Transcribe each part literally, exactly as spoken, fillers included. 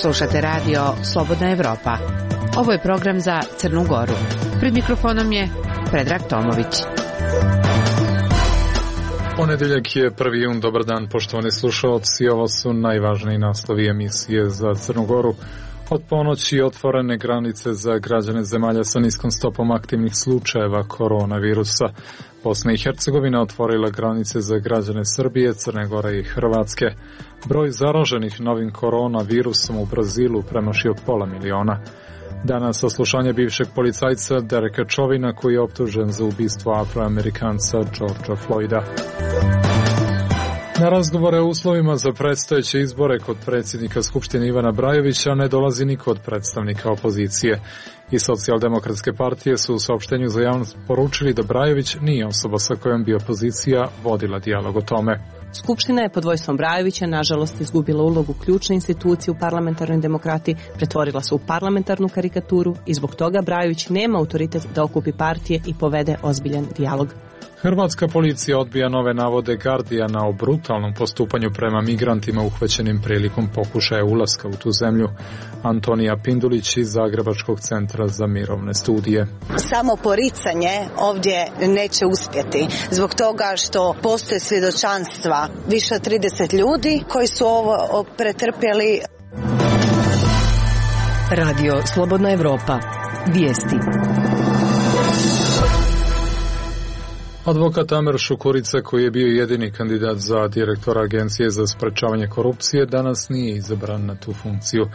Slušate radio Slobodna Evropa. Ovo je program za Crnu Goru. Pred mikrofonom je Predrag Tomović. Ponedjeljak je prvi jun. Dobar dan, poštovani slušalci. Ovo su najvažniji naslovi emisije za Crnu Goru. Od ponoći otvorene granice za građane zemalja sa niskom stopom aktivnih slučajeva koronavirusa. Bosna i Hercegovina otvorila granice za građane Srbije, Crne Gore i Hrvatske. Broj zaraženih novim koronavirusom u Brazilu premašio pola miliona. Danas saslušanje bivšeg policajca Dereka Chauvina koji je optužen za ubistvo Afroamerikanca Georgea Floyda. Na razgovore o uslovima za predstojeće izbore kod predsjednika Skupštine Ivana Brajovića ne dolazi niko od predstavnika opozicije. I Socijaldemokratske partije su u saopštenju za javnost poručili da Brajović nije osoba sa kojom bi opozicija vodila dijalog o tome. Skupština je pod vojstvom Brajovića nažalost izgubila ulogu ključne institucije u parlamentarnoj demokratiji, pretvorila se u parlamentarnu karikaturu i zbog toga Brajović nema autoritet da okupi partije i povede ozbiljan dijalog. Hrvatska policija odbija nove navode Guardiana o brutalnom postupanju prema migrantima uhvaćenim prilikom pokušaja ulaska u tu zemlju. Antonija Pindulić iz Zagrebačkog centra za mirovne studije. Samo poricanje ovdje neće uspjeti zbog toga što postoje svjedočanstva više od trideset ljudi koji su ovo pretrpjeli. Radio Slobodna Evropa. Vijesti. Advokat Amer Šukurica, koji je bio jedini kandidat za direktora Agencije za sprečavanje korupcije, danas nije izabran na tu funkciju.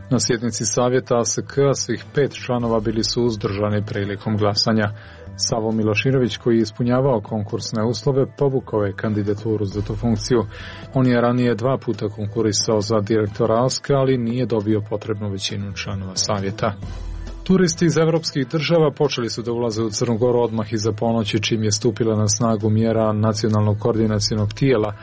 Na sjednici savjeta A S K svih pet članova bili su uzdržani prilikom glasanja. Savo Miloširović, koji je ispunjavao konkursne uslove, povukao je kandidaturu za tu funkciju. On je ranije dva puta konkurisao za direktora A S K, ali nije dobio potrebnu većinu članova savjeta. Turisti iz evropskih država počeli su da ulaze u Crnu Goru odmah iza ponoći čim je stupila na snagu mjera nacionalnog koordinacionog tijela,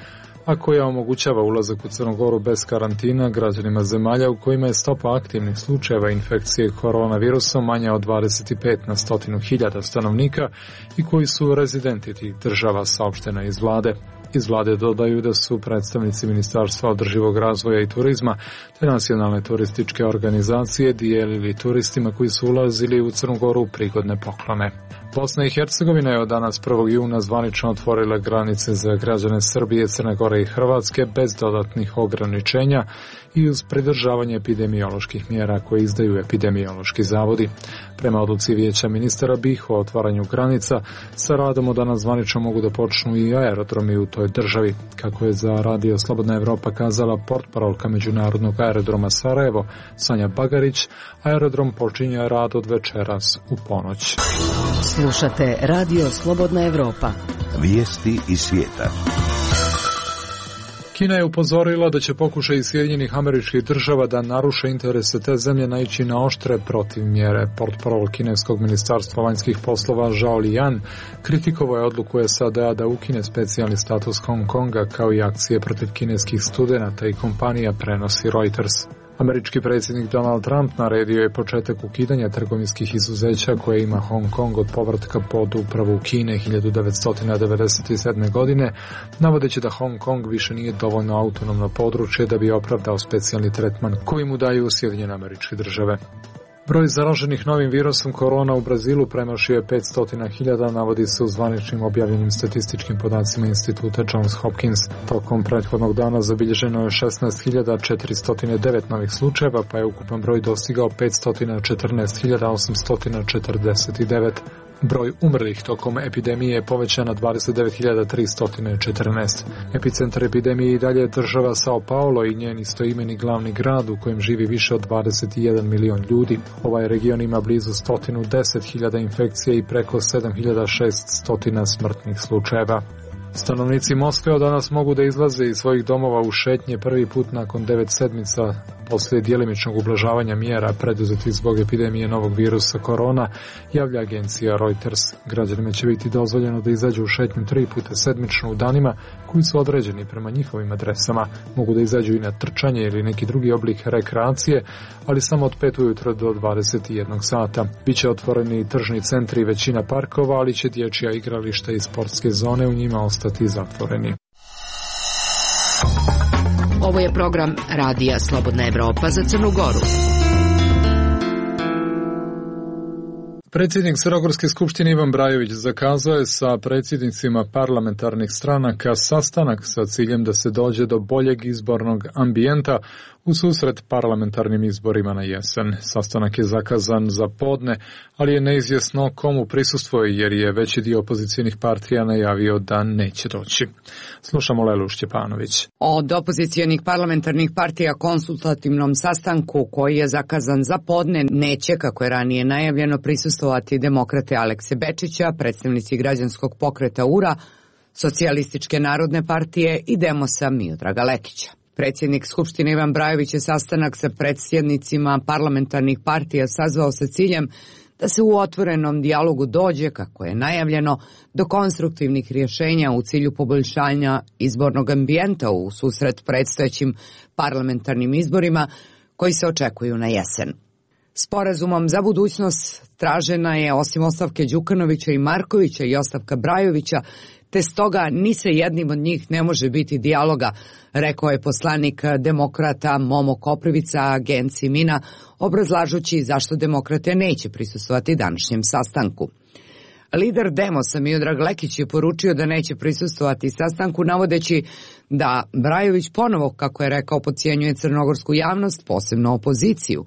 a koja omogućava ulazak u Crnu Goru bez karantina građanima zemalja u kojima je stopa aktivnih slučajeva infekcije koronavirusom manja od dvadeset pet na stotinu hiljada stanovnika i koji su rezidenti tih država, saopštena iz vlade. Iz vlade dodaju da su predstavnici Ministarstva održivog razvoja i turizma te nacionalne turističke organizacije dijelili turistima koji su ulazili u Crnu Goru prigodne poklone. Bosna i Hercegovina je od danas prvog juna zvanično otvorila granice za građane Srbije, Crne Gore i Hrvatske bez dodatnih ograničenja i uz pridržavanje epidemioloških mjera koje izdaju epidemiološki zavodi. Prema odluci Vijeća ministara B i H o otvaranju granica, sa radom od danas zvanično mogu da počnu i aerodromi u toj državi. Kako je za Radio Slobodna Evropa kazala portparolka Međunarodnog aerodroma Sarajevo, Sanja Bagarić, aerodrom počinje rad od večeras u ponoć. Slušate Radio Slobodna Evropa. Vijesti iz svijeta. Kina je upozorila da će pokušaj Sjedinjenih Američkih Država da naruše interese te zemlje naići na oštre protivmjere. Portparol kineskog ministarstva vanjskih poslova Zhao Lijan kritikovao je odluku S A D A da ukine specijalni status Hong Konga kao i akcije protiv kineskih studenata i kompanija, prenosi Reuters. Američki predsjednik Donald Trump naredio je početak ukidanja trgovinskih izuzeća koje ima Hong Kong od povratka pod upravu Kine hiljadu devetsto devedeset sedme. godine, navodeći da Hong Kong više nije dovoljno autonomno područje da bi opravdao specijalni tretman koji mu daju Sjedinjene Američke Države. Broj zaraženih novim virusom korona u Brazilu premašio je petsto hiljada, navodi se u zvaničnim objavljenim statističkim podacima instituta Johns Hopkins. Tokom prethodnog dana zabilježeno je šesnaest hiljada četiristo devet novih slučajeva, pa je ukupan broj dostigao petsto četrnaest hiljada osamsto četrdeset devet. Broj umrlih tokom epidemije je povećan na dvadeset devet hiljada tristo četrnaest. Epicentar epidemije i dalje je država Sao Paulo i njen istoimeni glavni grad u kojem živi više od dvadeset jedan milion ljudi. Ovaj region ima blizu sto deset hiljada infekcija i preko sedam hiljada šeststo smrtnih slučajeva. Stanovnici Moskve od danas mogu da izlaze iz svojih domova u šetnje prvi put nakon devet sedmica poslije djelimičnog ublažavanja mjera preduzetih zbog epidemije novog virusa korona, javlja agencija Reuters. Građanima će biti dozvoljeno da izađu u šetnju tri puta sedmično u danima koji su određeni prema njihovim adresama. Mogu da izađu i na trčanje ili neki drugi oblik rekreacije, ali samo od pet ujutro do dvadeset jedan sata. Biće otvoreni tržni centri i većina parkova, ali će dječja igrališta i sportske zone u njima ostati zatvoreni. Ovo je program Radija Slobodna Evropa za Crnu Goru. Predsjednik Crnogorske skupštine Ivan Brajović zakazao je sa predsjednicima parlamentarnih stranaka sastanak sa ciljem da se dođe do boljeg izbornog ambijenta u susret parlamentarnim izborima na jesen. Sastanak je zakazan za podne, ali je neizvjesno komu prisustvuje jer je veći dio opozicijnih partija najavio da neće doći. Slušamo Lelu Šćepanović. Od opozicijonih parlamentarnih partija konsultativnom sastanku koji je zakazan za podne neće, kako je ranije najavljeno, prisustvovati demokrate Alekse Bečića, predstavnici građanskog pokreta U R A, Socijalističke narodne partije i Demosa Miodraga Lekića. Predsjednik Skupštine Ivan Brajović je sastanak sa predsjednicima parlamentarnih partija sazvao sa ciljem da se u otvorenom dijalogu dođe, kako je najavljeno, do konstruktivnih rješenja u cilju poboljšanja izbornog ambijenta u susret predstojećim parlamentarnim izborima koji se očekuju na jesen. Sporazumom za budućnost tražena je, osim ostavke Đukanovića i Markovića i ostavka Brajovića, te stoga ni sa jednim od njih ne može biti dijaloga, rekao je poslanik demokrata Momo Koprivica agenciji Mina, obrazlažući zašto demokrate neće prisustvovati današnjem sastanku. Lider Demosa Miodrag Lekić je poručio da neće prisustvovati sastanku, navodeći da Brajović ponovo, kako je rekao, podcjenjuje crnogorsku javnost, posebno opoziciju,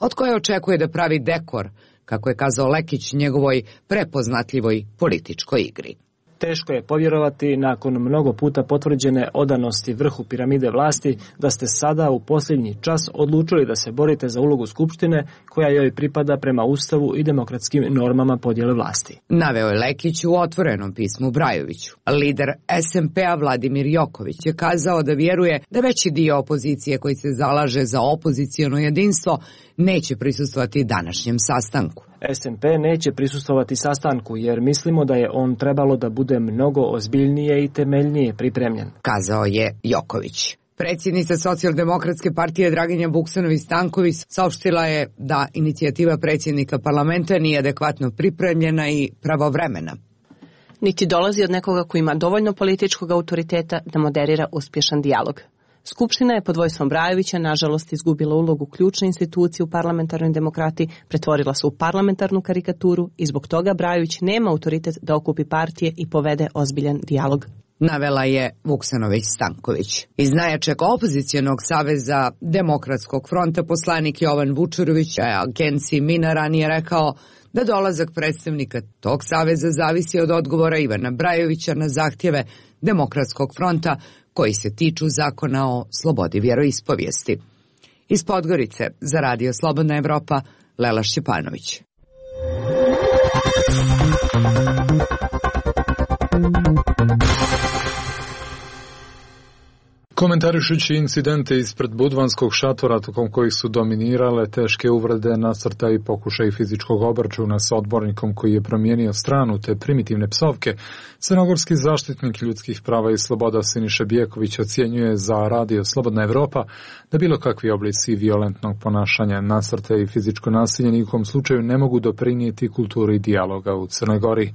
od koje očekuje da pravi dekor, kako je kazao Lekić, njegovoj prepoznatljivoj političkoj igri. Teško je povjerovati, nakon mnogo puta potvrđene odanosti vrhu piramide vlasti, da ste sada u posljednji čas odlučili da se borite za ulogu Skupštine koja joj pripada prema Ustavu i demokratskim normama podjele vlasti. Naveo je Lekić u otvorenom pismu Brajoviću. Lider S M P-a Vladimir Joković je kazao da vjeruje da veći dio opozicije koji se zalaže za opoziciono jedinstvo neće prisustvovati današnjem sastanku. S M P neće prisustvovati sastanku jer mislimo da je on trebalo da bude mnogo ozbiljnije i temeljnije pripremljen, kazao je Joković. Predsjednica Socijaldemokratske partije Draginja Vuksanović-Stanković saopštila je da inicijativa predsjednika parlamenta nije adekvatno pripremljena i pravovremena. Niti dolazi od nekoga koji ima dovoljno političkog autoriteta da moderira uspješan dijalog. Skupština je pod vojstvom Brajovića nažalost izgubila ulogu ključne institucije u parlamentarnoj demokratiji, pretvorila se u parlamentarnu karikaturu i zbog toga Brajović nema autoritet da okupi partije i povede ozbiljan dijalog, navela je Vuksanović-Stanković. Iz najjačeg opozicijonog saveza Demokratskog fronta poslanik Jovan Vučurović agenciji Mina ranije rekao da dolazak predstavnika tog saveza zavisi od odgovora Ivana Brajovića na zahtjeve Demokratskog fronta koji se tiču zakona o slobodi vjeroispovijesti. Iz Podgorice za Radio Slobodna Evropa, Lela Šćepanović. Komentarišući incidente ispred budvanskog šatora tokom kojih su dominirale teške uvrede, nasrta i pokušaj fizičkog obračuna sa odbornikom koji je promijenio stranu te primitivne psovke, crnogorski zaštitnik ljudskih prava i sloboda Siniša Bijeković ocjenjuje za Radio Slobodna Evropa da bilo kakvi oblici violentnog ponašanja, nasrta i fizičko nasilje nikom slučaju ne mogu doprinijeti kulturi dijaloga u Crnoj Gori.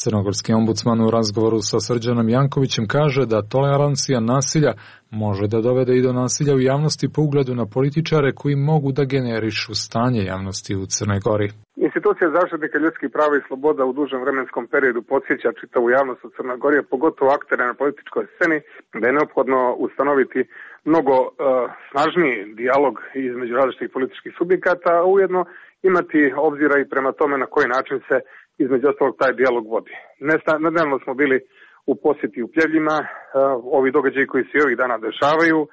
Crnogorski ombudsman u razgovoru sa Srđanom Jankovićem kaže da tolerancija nasilja može da dovede i do nasilja u javnosti po ugledu na političare koji mogu da generišu stanje javnosti u Crnoj Gori. Institucija zaštitnika ljudskih prava i sloboda u dužem vremenskom periodu podsjeća čitavu javnost u Crnoj Gori, pogotovo aktere na političkoj sceni, da je neophodno ustanoviti mnogo uh, snažniji dijalog između različitih političkih subjekata, a ujedno imati obzira i prema tome na koji način se između ostalog taj dijalog vodi. Nedavno smo bili u posjeti u Pljevljima, uh, ovi događaji koji se i ovih dana dešavaju. Uh,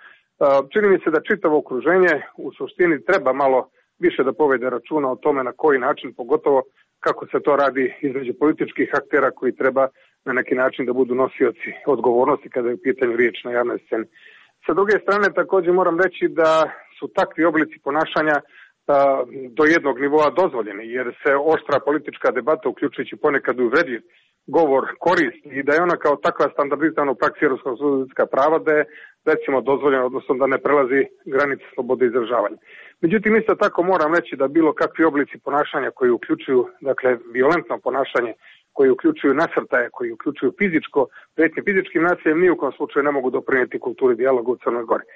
čini mi se da čitavo okruženje u suštini treba malo više da povede računa o tome na koji način, pogotovo kako se to radi između političkih aktera koji treba na neki način da budu nosioci odgovornosti kada je u pitanju riječ na javnoj sceni. Sa druge strane također moram reći da su takvi oblici ponašanja a, do jednog nivoa dozvoljeni, jer se oštra politička debata, uključujući ponekad uvredljiv govor, koristi i da je ona kao takva standardizirana u praksi europskog sudska prava, da je recimo dozvoljeno, odnosno da ne prelazi granice slobode izražavanja. Međutim, isto tako moram reći da bilo kakvi oblici ponašanja koji uključuju, dakle, violentno ponašanje koji uključuju nasrtaje, koji uključuju fizičko, prijetnje fizičkim nasiljem, ni u kom slučaju ne mogu doprinijeti kulturi dijaloga u Crnoj Gori.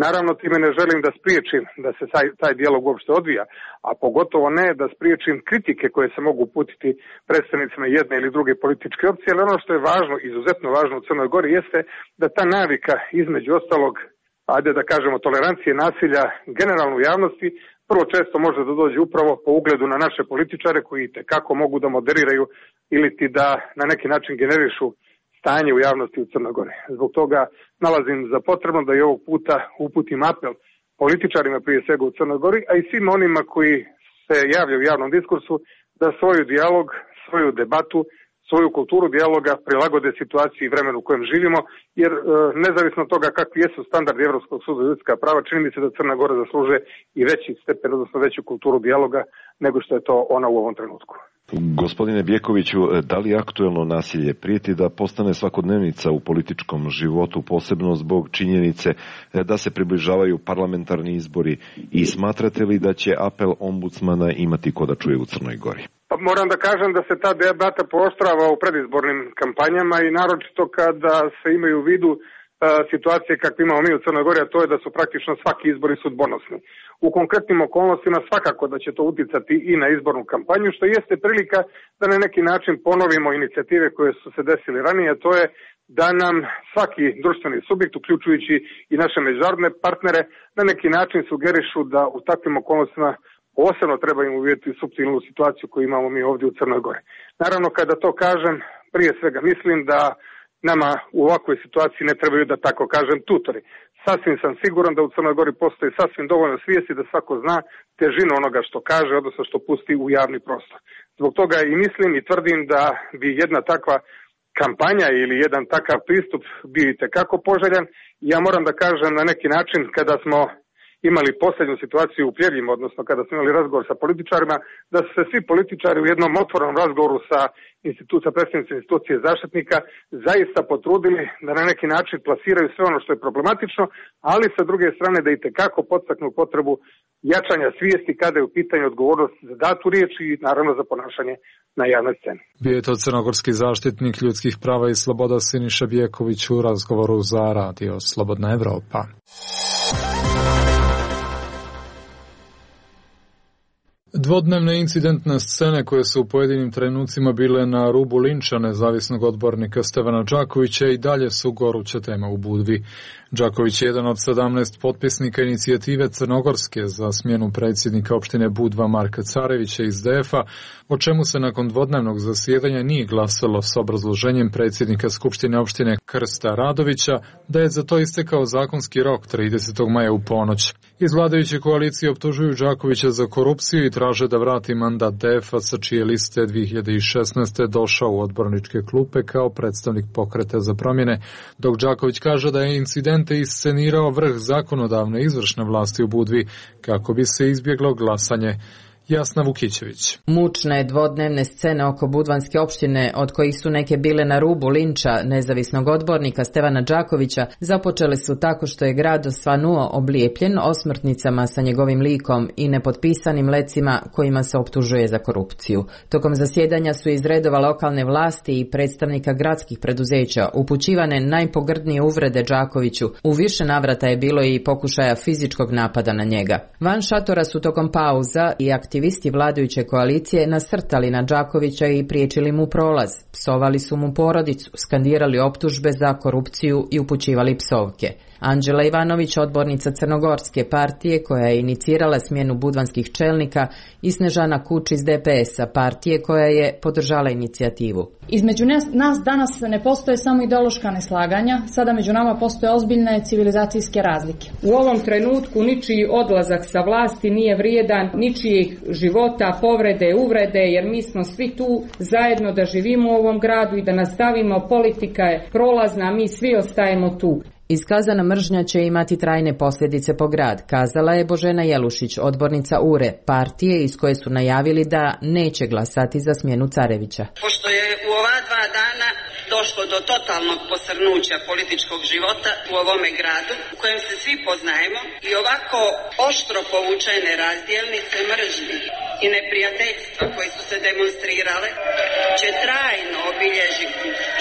Naravno, time ne želim da spriječim da se taj, taj dijalog uopšte odvija, a pogotovo ne da spriječim kritike koje se mogu uputiti predstavnicima jedne ili druge političke opcije, ali ono što je važno, izuzetno važno u Crnoj Gori jeste da ta navika između ostalog, ajde da kažemo, tolerancije nasilja generalno u javnosti, prvo često može da dođe upravo po ugledu na naše političare koji tekako mogu da moderiraju ili ti da na neki način generišu stanje u javnosti u Crnoj Gori. Zbog toga nalazim za potrebno da i ovog puta uputim apel političarima prije svega u Crnoj Gori, a i svima onima koji se javljaju u javnom diskursu da svoju dijalog, svoju debatu, svoju kulturu dijaloga prilagode situaciji i vremenu u kojem živimo, jer e, nezavisno od toga kakvi jesu standardi Evropskog suda za ljudska prava, čini mi se da Crna Gora zaslužuje i veći stepen, odnosno veću kulturu dijaloga nego što je to ona u ovom trenutku. Gospodine Bjekoviću, da li aktuelno nasilje prijeti da postane svakodnevnica u političkom životu, posebno zbog činjenice da se približavaju parlamentarni izbori, i smatrate li da će apel ombudsmana imati ko da čuje u Crnoj Gori? Pa moram da kažem da se ta debata pooštrava u predizbornim kampanjama i naročito kada se imaju u vidu situacije kakve imamo mi u Crnoj Gori, a to je da su praktično svaki izbori sudbonosni. U konkretnim okolnostima svakako da će to uticati i na izbornu kampanju, što jeste prilika da na neki način ponovimo inicijative koje su se desile ranije, a to je da nam svaki društveni subjekt, uključujući i naše međunarodne partnere, na neki način sugerišu da u takvim okolnostima posebno treba im uvijeti suptilnu situaciju koju imamo mi ovdje u Crnoj Gori. Naravno, kada to kažem, prije svega mislim da nama u ovakvoj situaciji ne trebaju, da tako kažem, tutori. Sasvim sam siguran da u Crnoj Gori postoji sasvim dovoljno svijesti da svako zna težinu onoga što kaže, odnosno što pusti u javni prostor. Zbog toga i mislim i tvrdim da bi jedna takva kampanja ili jedan takav pristup bio itekako poželjan. Ja moram da kažem na neki način, kada smo imali posljednju situaciju u Pljeljima, odnosno kada smo imali razgovor sa političarima, da su se svi političari u jednom otvorenom razgovoru sa institucija, predstavnici institucije zaštitnika zaista potrudili da na neki način plasiraju sve ono što je problematično, ali sa druge strane da itekako podstaknu potrebu jačanja svijesti kada je u pitanju odgovornost za datu riječ i naravno za ponašanje na javnoj sceni. Bio je to crnogorski zaštitnik ljudskih prava i sloboda Siniša Bjeković u razgovoru za radio Slobodna Evropa. Dvodnevne incidentne scene koje su u pojedinim trenucima bile na rubu linča nezavisnog odbornika Stevana Đakovića i dalje su goruća tema u Budvi. Đaković je jedan od sedamnaest potpisnika inicijative Crnogorske za smjenu predsjednika opštine Budva Marka Carevića iz D F-a, o čemu se nakon dvodnevnog zasjedanja nije glasalo s obrazloženjem predsjednika Skupštine opštine Krsta Radovića da je za to istekao zakonski rok tridesetog maja u ponoć. Iz vladajuće koalicije optužuju Đakovića za korupciju i traže da vrati mandat D F-a sa čije liste dvije hiljade šesnaeste. došao u odborničke klupe kao predstavnik Pokreta za promjene, dok Đaković kaže da je incidente iscenirao vrh zakonodavne izvršne vlasti u Budvi kako bi se izbjeglo glasanje. Jasna Vukićević. Mučne dvodnevne scene oko budvanske opštine, od kojih su neke bile na rubu linča nezavisnog odbornika Stevana Đakovića, započele su tako što je grad osvanuo oblijepljen osmrtnicama sa njegovim likom i nepotpisanim lecima kojima se optužuje za korupciju. Tokom zasjedanja su iz redova lokalne vlasti i predstavnika gradskih preduzeća upućivane najpogrdnije uvrede Đakoviću. U više navrata je bilo i pokušaja fizičkog napada na njega. Van šatora su tokom pauza i aktivisti Aktivisti vladajuće koalicije nasrtali na Đakovića i priječili mu prolaz. Psovali su mu porodicu, skandirali optužbe za korupciju i upućivali psovke. Anđela Ivanović, odbornica Crnogorske partije koja je inicirala smjenu budvanskih čelnika, i Snežana Kuč iz D P S-a, partije koja je podržala inicijativu. Između nas danas ne postoje samo ideološka neslaganja, sada među nama postoje ozbiljne civilizacijske razlike. U ovom trenutku ničiji odlazak sa vlasti nije vrijedan ničijih života, povrede, uvrede, jer mi smo svi tu zajedno da živimo u ovom gradu i da nastavimo, politika je prolazna, mi svi ostajemo tu. Iskazana mržnja će imati trajne posljedice po grad, kazala je Božena Jelušić, odbornica U R E, partije iz koje su najavili da neće glasati za smjenu Carevića. Pošto je u ova dva dana došlo do totalnog posrnuća političkog života u ovome gradu, u kojem se svi poznajemo, i ovako oštro povučene razdjelnice mržnje i neprijateljstva koji su se demonstrirale, će trajno obilježi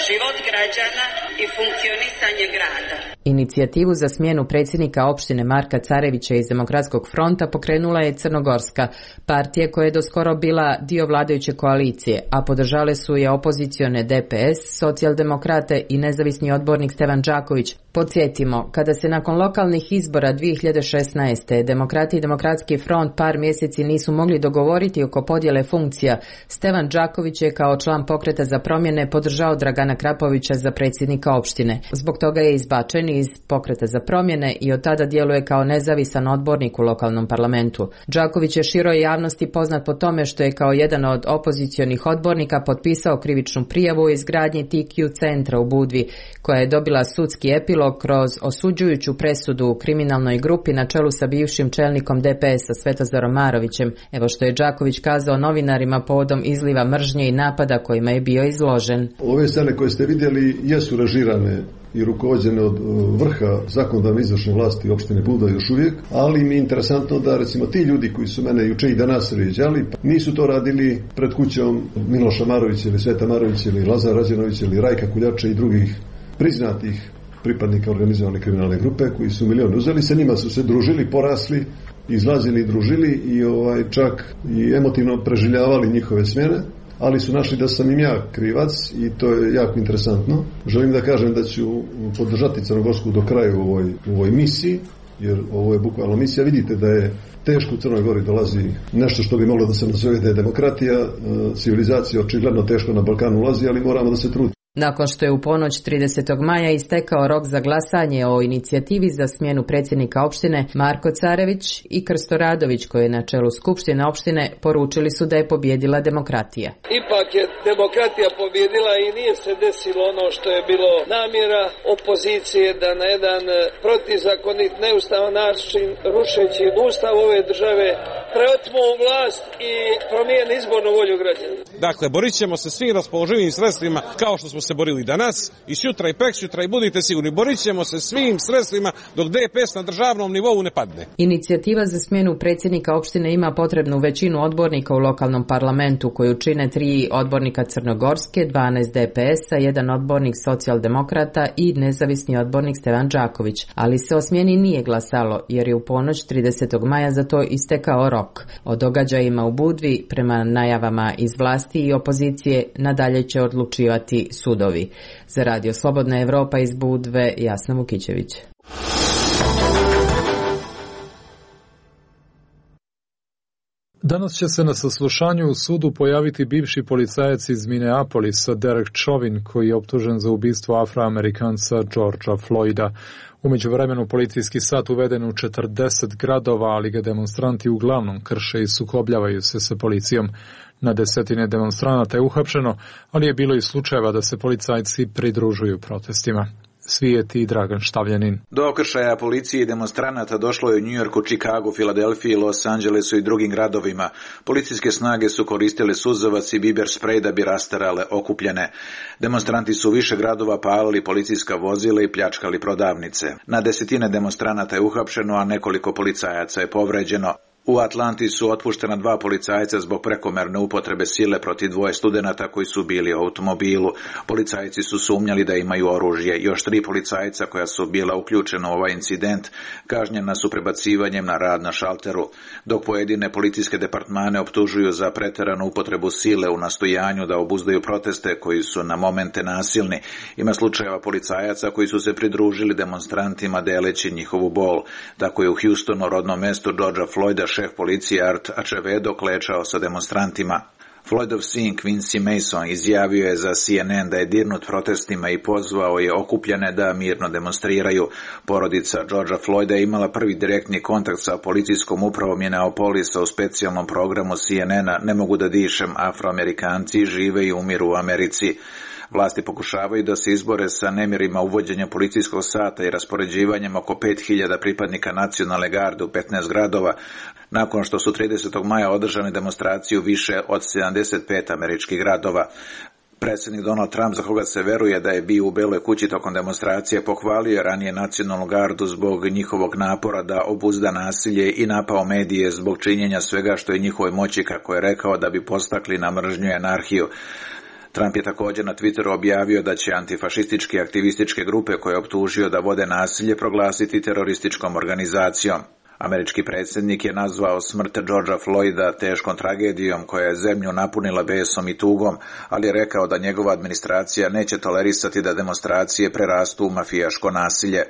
život građana i funkcionisanje grada. Inicijativu za smjenu predsjednika opštine Marka Carevića iz Demokratskog fronta pokrenula je Crnogorska, partija koja je doskoro bila dio vladajuće koalicije, a podržale su je opozicione D P S, socijaldemokrate i nezavisni odbornik Stevan Đaković. Podsjetimo, kada se nakon lokalnih izbora dvije hiljade šesnaeste. Demokrati i Demokratski front par mjeseci nisu mogli dogovoriti oko podjele funkcija, Stevan Đaković je kao član Pokreta za promjene podržao Dragana Krapovića za predsjednika opštine. Zbog toga je izbačen iz Pokreta za promjene i od tada djeluje kao nezavisan odbornik u lokalnom parlamentu. Đaković je široj javnosti poznat po tome što je kao jedan od opozicionih odbornika potpisao krivičnu prijavu o izgradnji T Q centra u Budvi, koja je dobila sudski epilog kroz osuđujuću presudu u kriminalnoj grupi na čelu sa bivšim čelnikom D P S-a Svetozarom Marovićem. Evo što je Đaković kazao novinarima povodom izliva mržnje i napada kojima je bio izložen. Ove scene koje ste vidjeli jesu režirane i rukovođene od vrha zakonodavne izvršne vlasti opštine Budva još uvijek, ali mi je interesantno da recimo ti ljudi koji su mene juče i danas vrijeđali, nisu to radili pred kućom Miloša Marovića ili Sveta Marovića ili Lazara Rađenovića ili Rajka Kuljače i drugih priznatih pripadnika organizovane kriminalne grupe koji su milion uzeli, sa njima su se družili, porasli, izlazili i družili i ovaj čak i emotivno preživljavali njihove smjene, ali su našli da sam im ja krivac i to je jako interesantno. Želim da kažem da ću podržati Crnogorsku do kraja u ovoj, u ovoj misiji, jer ovo je bukvalno misija. Vidite da je teško u Crnoj Gori dolazi nešto što bi moglo da se nazove da je demokratija, civilizacija očigledno teško na Balkanu ulazi, ali moramo da se trudimo. Nakon što je u ponoć tridesetog maja istekao rok za glasanje o inicijativi za smjenu predsjednika opštine, Marko Carević i Krsto Radović, koji je na čelu Skupštine opštine, poručili su da je pobjedila demokratija. Ipak je demokratija pobjedila i nije se desilo ono što je bilo namjera opozicije da na jedan protizakonit, neustavan način, rušeći ustav ove države, preotmu vlast i promijeni izbornu volju građana. Dakle, borit ćemo se svim raspoloživim sredstvima kao što smo se borili danas i sutra i preksutra i budite sigurni, borit ćemo se svim sredstvima dok D P S na državnom nivou ne padne. Inicijativa za smjenu predsjednika opštine ima potrebnu većinu odbornika u lokalnom parlamentu, koju čine tri odbornika Crnogorske, dvanaest D P S-a, jedan odbornik socijaldemokrata i nezavisni odbornik Stevan Đaković. Ali se o smjeni nije glasalo, jer je u ponoć tridesetog maja za to istekao rok. O događajima u Budvi, prema najavama iz vlasti i opozicije, nadalje će odlučivati sudovi. Za Radio Slobodna Evropa iz Budve, Jasna Vukićević. Danas će se na saslušanju u sudu pojaviti bivši policajac iz Minneapolisa Derek Chauvin, koji je optužen za ubistvo Afroamerikanca Georgea Floyda. U međuvremenu policijski sat uveden u četrdeset gradova, ali ga demonstranti uglavnom krše i sukobljavaju se sa policijom. Na desetine demonstranata je uhapšeno, ali je bilo i slučajeva da se policajci pridružuju protestima. Svijeti Dragan Štavljanin. Do okršaja policije i demonstranata došlo je u Njujorku, Čikagu, Filadelfiji, Los Angelesu i drugim gradovima. Policijske snage su koristile suzavac i biber sprej da bi rastarale okupljene. Demonstranti su u više gradova palili policijska vozila i pljačkali prodavnice. Na desetine demonstranata je uhapšeno, a nekoliko policajaca je povređeno. U Atlanti su otpuštena dva policajca zbog prekomerne upotrebe sile protiv dvoje studenata koji su bili u automobilu. Policajci su sumnjali da imaju oružje. Još tri policajca koja su bila uključena u ovaj incident kažnjena su prebacivanjem na rad na šalteru, dok pojedine policijske departmane optužuju za preteranu upotrebu sile u nastojanju da obuzdaju proteste koji su na momente nasilni. Ima slučajeva policajaca koji su se pridružili demonstrantima deleći njihovu bol. Tako je u Houstonu, rodnom mestu Georgea Floyda, šef policije Art Acevedo klečao sa demonstrantima. Floydov sin Quincy Mason izjavio je za C N N da je dirnut protestima i pozvao je okupljene da mirno demonstriraju. Porodica Georgea Floyda je imala prvi direktni kontakt sa policijskom upravom Minneapolisa u specijalnom programu C N N-a Ne mogu da dišem, Afroamerikanci žive i umiru u Americi. Vlasti pokušavaju da se izbore sa nemirima uvođenja policijskog sata i raspoređivanjem oko pet hiljada pripadnika nacionalne garde u petnaest gradova, nakon što su tridesetog maja održane demonstracije u više od sedamdeset pet američkih gradova. Predsjednik Donald Trump, za koga se veruje da je bio u Beloj kući tokom demonstracije, pohvalio je ranije nacionalnu gardu zbog njihovog napora da obuzda nasilje i napao medije zbog činjenja svega što je njihovoj moći, kako je rekao, da bi postakli na mržnju i anarhiju. Trump je također na Twitteru objavio da će antifašističke aktivističke grupe koje je optužio da vode nasilje proglasiti terorističkom organizacijom. Američki predsjednik je nazvao smrt Georgea Floyda teškom tragedijom koja je zemlju napunila besom i tugom, ali je rekao da njegova administracija neće tolerisati da demonstracije prerastu u mafijaško nasilje.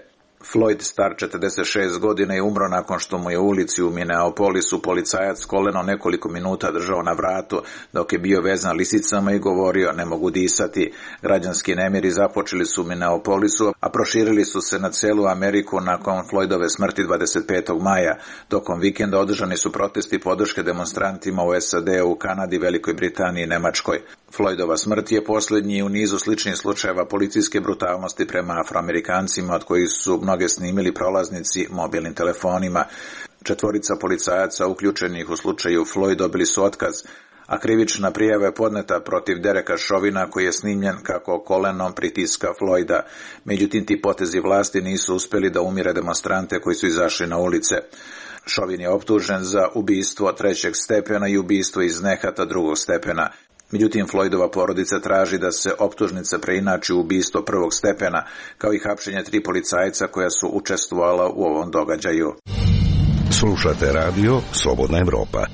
Floyd, star četrdeset šest godina, je umro nakon što mu je u ulici u Minneapolisu policajac koleno nekoliko minuta držao na vratu dok je bio vezan lisicama i govorio ne mogu disati. Građanski nemiri započeli su u Minneapolisu, a proširili su se na celu Ameriku nakon Floydove smrti dvadeset petog maja. Tokom vikenda održani su protesti podrške demonstrantima u S A D-u, Kanadi, Velikoj Britaniji i Nemačkoj. Floydova smrt je posljednji u nizu sličnih slučajeva policijske brutalnosti prema Afroamerikancima, od kojih su mnoge snimili prolaznici mobilnim telefonima. Četvorica policajaca uključenih u slučaju Floyd dobili su otkaz, a krivična prijava je podneta protiv Dereka Chauvina koji je snimljen kako kolenom pritiska Floyda. Međutim, ti potezi vlasti nisu uspjeli da umire demonstrante koji su izašli na ulice. Chauvin je optužen za ubistvo trećeg stepena i ubistvo iz nehata drugog stepena. Međutim, Floydova porodica traži da se optužnica preinači u ubistvo prvog stepena, kao i hapšenje tri policajca koja su učestvovala u ovom događaju. Slušate radio Slobodna Evropa.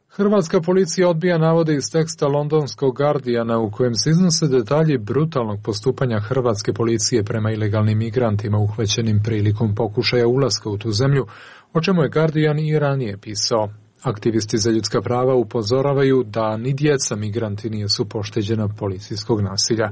Hrvatska policija odbija navode iz teksta londonskog Guardiana u kojem se iznose detalji brutalnog postupanja hrvatske policije prema ilegalnim migrantima uhvaćenim prilikom pokušaja ulaska u tu zemlju, o čemu je Guardian i ranije pisao. Aktivisti za ljudska prava upozoravaju da ni djeca migranti nisu pošteđena policijskog nasilja.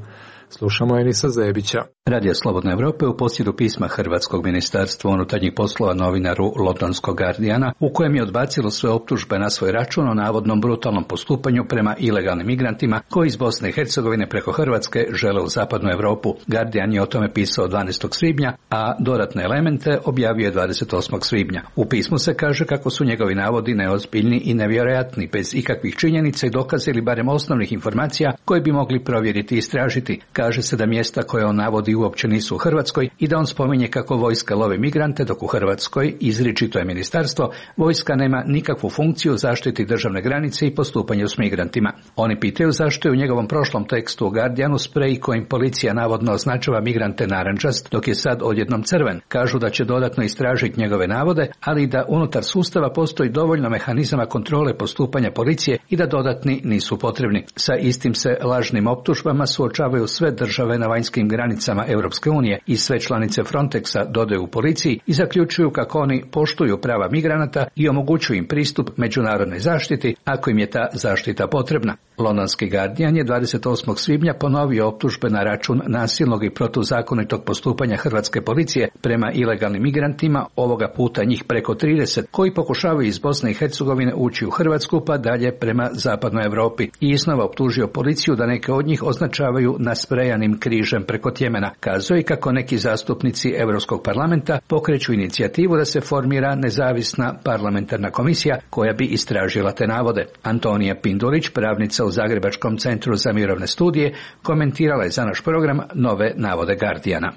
Slušamo Enisa Zebića. Radio Slobodna Evropa u posjedu pisma Hrvatskog ministarstva unutarnjih poslova novinaru londonskog Guardiana, u kojem je odbacilo sve optužbe na svoj račun o navodnom brutalnom postupanju prema ilegalnim migrantima koji iz Bosne i Hercegovine preko Hrvatske žele u zapadnu Europu. Guardian je o tome pisao dvanaestog svibnja, a dodatne elemente objavio je dvadeset osmog svibnja. U pismu se kaže kako su njegovi navodi neozbiljni i nevjerojatni, bez ikakvih činjenica i dokaza ili barem osnovnih informacija koje bi mogli provjeriti i istražiti. Kaže se da mjesta koje on navodi uopće nisu u Hrvatskoj i da on spominje kako vojska lovi migrante, dok u Hrvatskoj, izričito je ministarstvo, vojska nema nikakvu funkciju zaštiti državne granice i postupanju s migrantima. Oni pitaju zašto je u njegovom prošlom tekstu u Guardianu sprej kojim policija navodno označava migrante narančast, dok je sad odjednom crven. Kažu da će dodatno istražiti njegove navode, ali da unutar sustava postoji dovoljno mehanizama kontrole postupanja policije i da dodatni nisu potrebni. Sa istim se lažnim optužbama suočavaju sve države na vanjskim granicama Europske unije i sve članice Frontexa, dodaju u policiji, i zaključuju kako oni poštuju prava migranata i omogućuju im pristup međunarodnoj zaštiti ako im je ta zaštita potrebna. Londonski Guardian je dvadeset osmog svibnja ponovio optužbe na račun nasilnog i protuzakonitog postupanja hrvatske policije prema ilegalnim migrantima, ovoga puta njih preko trideset, koji pokušavaju iz Bosne i Hercegovine ući u Hrvatsku pa dalje prema zapadnoj Europi, i iznova optužio policiju da neke od njih označavaju nasprejanim križem preko Tjemena. Kazao je kako neki zastupnici Europskog parlamenta pokreću inicijativu da se formira nezavisna parlamentarna komisija koja bi istražila te navode. Antonija Pindulić, pravnica u Zagrebačkom centru za mirovne studije, komentirala je za naš program nove navode Guardiana.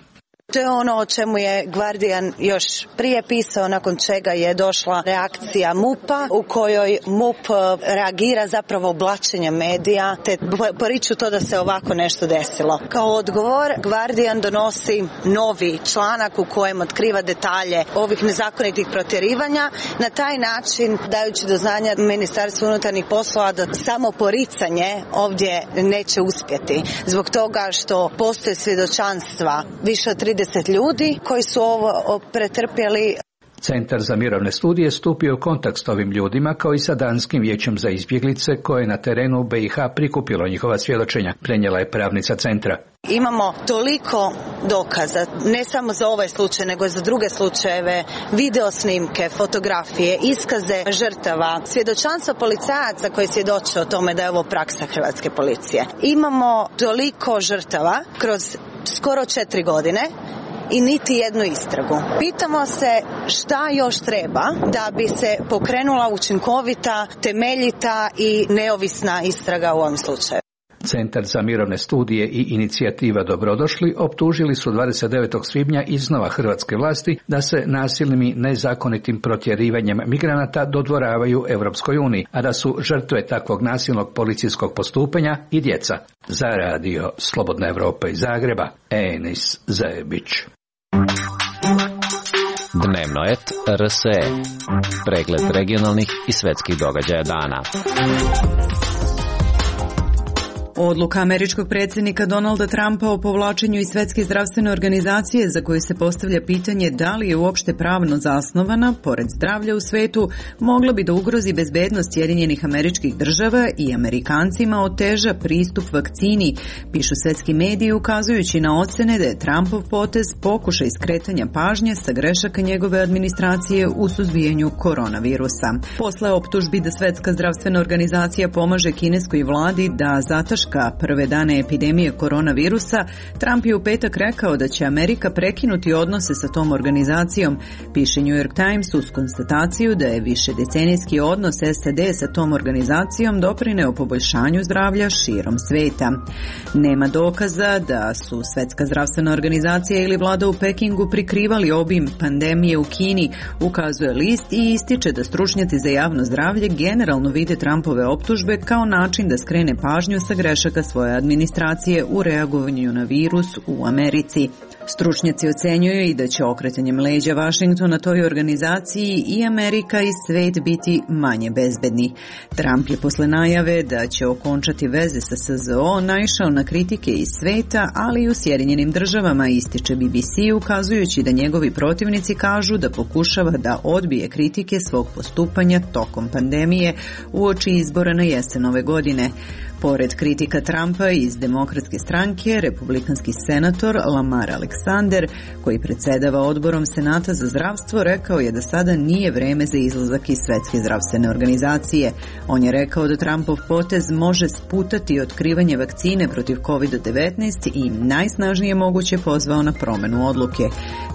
To je ono o čemu je Guardian još prije pisao, nakon čega je došla reakcija M U P-a, u kojoj M U P reagira zapravo oblačenjem medija, te poriču to da se ovako nešto desilo. Kao odgovor, Guardian donosi novi članak u kojem otkriva detalje ovih nezakonitih protjerivanja, na taj način dajući do znanja Ministarstvu unutarnjih poslova da samo poricanje ovdje neće uspjeti. Zbog toga što postoje svjedočanstva više od trideset ljudi koji su ovo pretrpjeli. Centar za mirovne studije stupio u kontakt s ovim ljudima kao i sa Danskim vijećem za izbjeglice koje je na terenu u B i H prikupilo njihova svjedočenja, prenijela je pravnica centra. Imamo toliko dokaza, ne samo za ovaj slučaj, nego i za druge slučajeve, video snimke, fotografije, iskaze žrtava, svjedočanstva policajaca koji svjedoče o tome da je ovo praksa hrvatske policije. Imamo toliko žrtava kroz skoro četiri godine i niti jednu istragu. Pitamo se šta još treba da bi se pokrenula učinkovita, temeljita i neovisna istraga u ovom slučaju. Centar za mirovne studije i inicijativa Dobrodošli optužili su dvadeset devetog svibnja iznova hrvatske vlasti da se nasilnim i nezakonitim protjerivanjem migranata dodvoravaju Europskoj uniji, a da su žrtve takvog nasilnog policijskog postupanja i djeca. Za radio Slobodna Evropa iz Zagreba, Enis Zajebić. Dnevno et R S E. Pregled regionalnih i svetskih događaja dana. Odluka američkog predsjednika Donalda Trumpa o povlačenju iz Svjetske zdravstvene organizacije, za koju se postavlja pitanje da li je uopšte pravno zasnovana, pored zdravlja u svetu, mogla bi da ugrozi bezbednost Sjedinjenih Američkih Država i Amerikancima oteža pristup vakcini, pišu svetski mediji, ukazujući na ocene da je Trumpov potez pokušaj skretanja pažnje sa grešaka njegove administracije u suzbijanju koronavirusa. Posle optužbi da Svjetska zdravstvena organizacija pomaže kineskoj vladi da zataška prve dane epidemije koronavirusa, Trump je u petak rekao da će Amerika prekinuti odnose sa tom organizacijom, piše New York Times uz konstataciju da je višedecenijski odnos S A D sa tom organizacijom doprineo poboljšanju zdravlja širom sveta. Nema dokaza da su Svjetska zdravstvena organizacija ili vlada u Pekingu prikrivali obim pandemije u Kini, ukazuje list i ističe da stručnjaci za javno zdravlje generalno vide Trumpove optužbe kao način da skrene pažnju sa grešaka svoje administracije u reagovanju na virus u Americi. Stručnjaci ocenjuju i da će okretanjem leđa Vašingtona toj organizaciji i Amerika i svet biti manje bezbedni. Trump je posle najave da će okončati veze sa S Z O naišao na kritike iz sveta, ali i u Sjedinjenim Državama, ističe B B C, ukazujući da njegovi protivnici kažu da pokušava da odbije kritike svog postupanja tokom pandemije uoči izbora na jesen ove godine. Pored kritika Trumpa iz Demokratske stranke, republikanski senator Lamar Alexander, koji predsjedava odborom Senata za zdravstvo, rekao je da sada nije vreme za izlazak iz Svjetske zdravstvene organizacije. On je rekao da Trumpov potez može sputati otkrivanje vakcine protiv kovid devetnaest i najsnažnije moguće pozvao na promjenu odluke.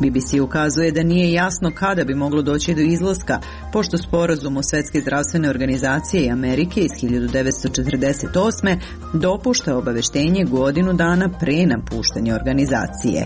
B B C ukazuje da nije jasno kada bi moglo doći do izlaska, pošto sporazum o Svjetske zdravstvene organizacije i Amerike iz hiljadu devetsto četrdeset osme dopušta obaveštenje godinu dana pre napuštanja organizacije.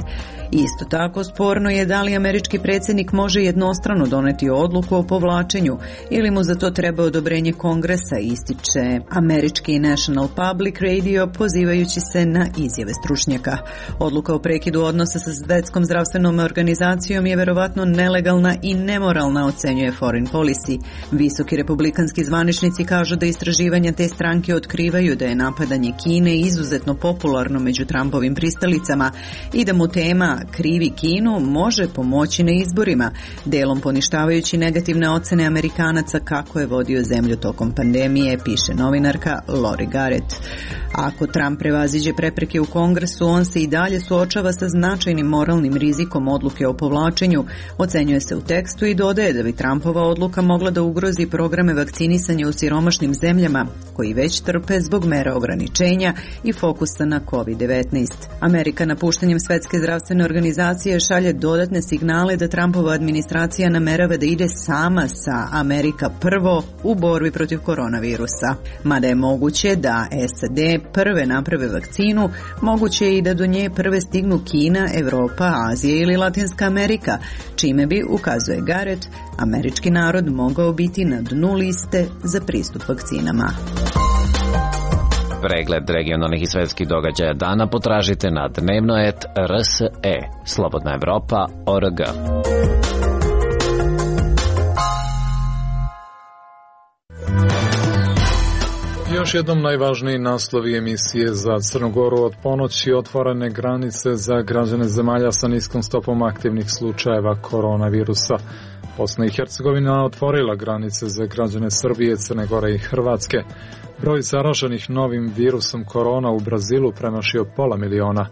Isto tako sporno je da li američki predsjednik može jednostrano doneti odluku o povlačenju ili mu za to treba odobrenje Kongresa, ističe američki National Public Radio pozivajući se na izjave stručnjaka. Odluka o prekidu odnosa sa Svjetskom zdravstvenom organizacijom je verovatno nelegalna i nemoralna, ocenjuje Foreign Policy. Visoki republikanski zvaničnici kažu da istraživanja te stranke otkrivaju da je napadanje Kine izuzetno popularno među Trumpovim pristalicama i da mu tema krivi Kinu može pomoći na izborima, delom poništavajući negativne ocene Amerikanaca kako je vodio zemlju tokom pandemije, piše novinarka Lori Garrett. Ako Trump prevaziđe prepreke u Kongresu, on se i dalje suočava sa značajnim moralnim rizikom odluke o povlačenju, ocenjuje se u tekstu i dodaje da bi Trumpova odluka mogla da ugrozi programe vakcinisanja u siromašnim zemljama, koji već trpe zbog mera ograničenja i fokusa na kovid devetnaest. Amerika napuštanjem Svjetske zdravstvene organizacije šalje dodatne signale da Trumpova administracija namerava da ide sama sa Amerika prvo u borbi protiv koronavirusa. Mada je moguće da S A D prve naprave vakcinu, moguće je i da do nje prve stignu Kina, Evropa, Azija ili Latinska Amerika, čime bi, ukazuje Garrett, američki narod mogao biti na dnu liste za pristup vakcinama. Pregled regionalnih i svetskih događaja dana potražite na dnevno et R S E, Slobodna Evropa, O R G. Još jednom najvažniji naslovi emisije za Crnu Goru: od ponoći otvorene granice za građane zemalja sa niskom stopom aktivnih slučajeva koronavirusa. Bosna i Hercegovina otvorila granice za građane Srbije, Crne Gore i Hrvatske. Broj zaraženih novim virusom korona u Brazilu premašio pola miliona.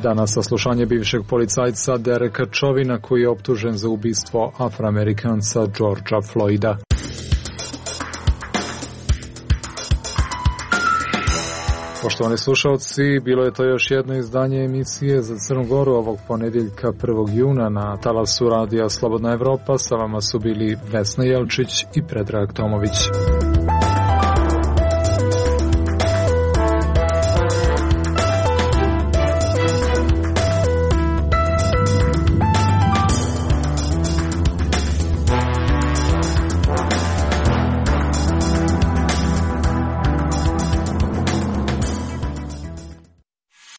Danas saslušanje bivšeg policajca Dereka Čovina, koji je optužen za ubistvo Afroamerikanca Georgea Floyda. Poštovani slušalci, bilo je to još jedno izdanje emisije za Crnu Goru ovog ponedjeljka prvog juna na talasu radija Slobodna Evropa. Sa vama su bili Vesna Jelčić i Predrag Tomović.